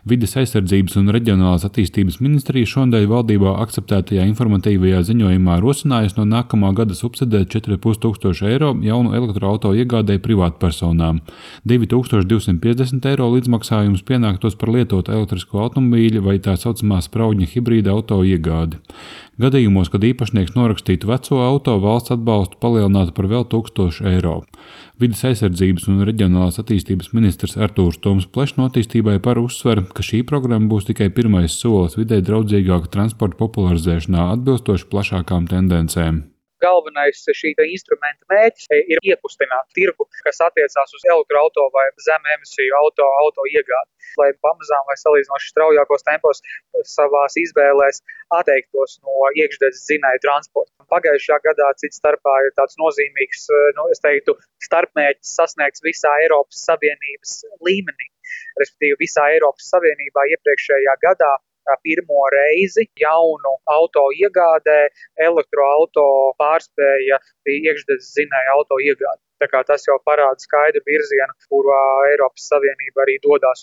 Vides aizsardzības un reģionālās attīstības ministrija šonadēļ valdībā akceptētajā informatīvajā ziņojumā rosinājusi no nākamā gada subsidēt 4500 eiro jaunu elektroauto iegādēji privātpersonām. 2250 eiro līdzmaksājums pienāktos par lietotu elektrisko automobīļu vai tā saucamā spraudņa hibrīda auto iegādi. Gadījumos, kad īpašnieks norakstītu veco auto, valsts atbalstu palielinātu par vēl 1000 eiro. Vides aizsardzības un reģionālās attīstības ministrs Artūrs Toms Plešs attīstībai par uzsver, ka šī programma būs tikai pirmais solis videi draudzīgāka transporta popularizēšanā atbilstoši plašākām tendencēm. Galvenais šī instrumenta mērķis ir iekustināt tirgu, kas attiecās uz elektroauto vai zem emisiju auto iegādi, lai pamazām vai salīdzinoši straujākos tempos savās izvēlēs atteiktos no iekšdedzes dzinēju transporta. Pagājušajā gadā cits starpā ir tāds nozīmīgs, starpmērķis sasniegts visā Eiropas Savienības līmenī. Respektīvi visā Eiropas Savienībā iepriekšējā gadā pirmo reizi jaunu auto iegādē elektroauto pārspēja iekšdedzes dzinēju auto iegādi. Tā kā tas jau parāda skaidru virzienu, kurā Eiropas Savienība arī dodas.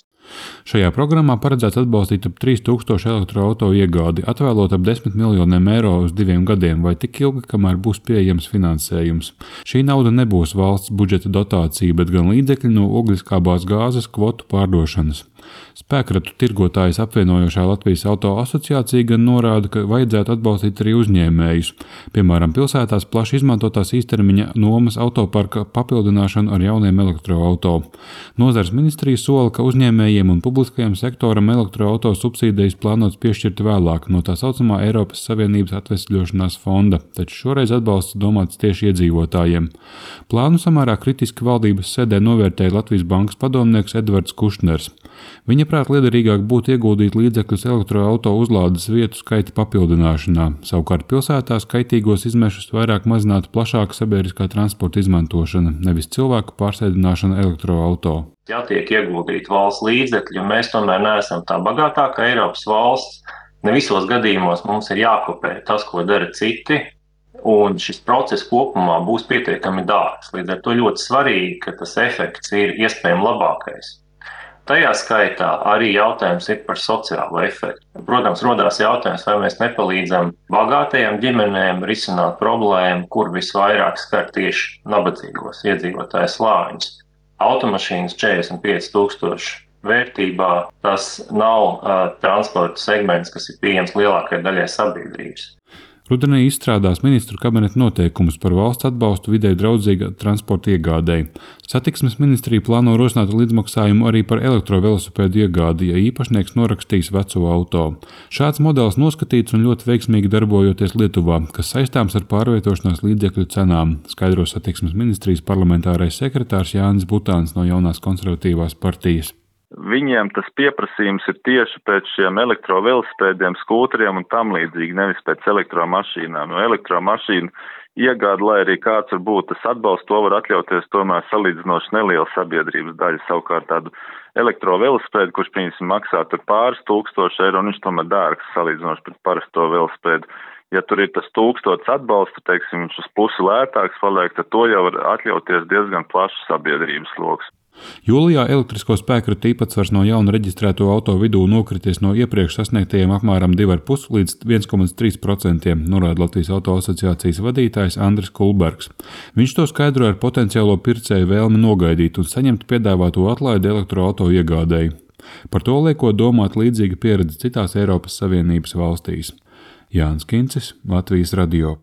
Šajā programmā paredzēts atbalstīt ap 3000 elektroauto iegādi, atvēlot ap 10 miljoniem eiro uz 2 gadiem vai tik ilgi, kamēr būs pieejams finansējums. Šī nauda nebūs valsts budžeta dotācija, bet gan līdzekļi no ogliskābās gāzes kvotu pārdošanas. Spēkratu tirgotājus apvienojošā Latvijas auto asociācija gan norāda, ka vajadzētu atbalstīt arī uzņēmējus, piemēram, pilsētās plaši izmantotās īstermiņa nomas autoparka papildināšanu ar jauniem elektroauto. Nozares ministrija sola, ka uzņēmējiem un publiskajam sektoram elektroauto subsīdijas plānots piešķirt vēlāk no tā saucamā Eiropas Savienības atvesļošanās fonda, taču šoreiz atbalsts domāts tieši iedzīvotājiem. Plānu samērā kritiski valdības sēdē novērtēja Latvijas bankas padomnieks Edvards Kušners. Viņa prāt liederīgāk būtu ieguldīt līdzekļus elektroauto uzlādes vietu skaita papildināšanā, savukārt pilsētās kaitīgos izmešus vairāk mazinātu plašāka sabiedriskā transporta izmantošana, nevis cilvēku pārsēdināšana elektroauto. Ja tiek ieguldīti valsts līdzekļi, un mēs tomēr neesam tā bagātākā Eiropas valsts, ne visos gadījumos mums ir jākopē tas, ko dara citi, un šis process kopumā būs pietiekami dārgs. Līdz ar to ļoti svarīgi, ka tas efekts ir iespējami labākais. Tajā skaitā arī jautājums ir par sociālo efektu. Protams, rodās jautājums, vai mēs nepalīdzam bagātajām ģimenēm risināt problēmu, kur visvairāk skar tieši nabadzīgos iedzīvotāju slāņus. Automašīnas 45 000 vērtībā tas nav transporta segments, kas ir pieejams lielākajai daļai sabiedrības. Rudenī izstrādās ministru kabineta noteikumus par valsts atbalstu videi draudzīga transporta iegādēji. Satiksmes ministrija plāno rosināt līdzmaksājumu arī par elektrovelosipēdu iegādi, ja īpašnieks norakstīs veco auto. Šāds modelis noskatīts un ļoti veiksmīgi darbojoties Lietuvā, kas saistāms ar pārvietošanās līdzekļu cenām, skaidro satiksmes ministrijas parlamentārais sekretārs Jānis Butāns no Jaunās konservatīvās partijas. Viņiem tas pieprasījums ir tieši pēc šiem elektrovelosipēdiem, skūteriem un tam līdzīgi, nevis pēc elektromašīnām. No elektromašīnu iegāda, lai arī kāds var būt tas atbalsts, to var atļauties tomēr salīdzinoši neliela sabiedrības daļa. Savukārt tādu elektrovelosipēdu, kurš piemēram maksā tur pāris 1000 eiro, un viņš tomēr dārgs salīdzinoši pret parasto velosipēdu. Ja tur ir tas 1000 atbalsta, teiksim, viņš uz pusi lētāks paliek, tad to jau var atļauties diezgan plašs sabiedrības loks. Jūlijā elektrisko spēkratu īpatsvars no jauna reģistrēto auto vidū nokrities no iepriekš sasniegtajiem apmēram 2,5 līdz 1,3%, norāda Latvijas auto asociācijas vadītājs Andris Kulbergs. Viņš to skaidro ar potenciālo pircēju vēlmi nogaidīt un saņemt piedāvāto atlaidi elektroauto iegādēji. Par to liekot domāt līdzīga pieredze citās Eiropas Savienības valstīs. Jānis Kincis, Latvijas radio.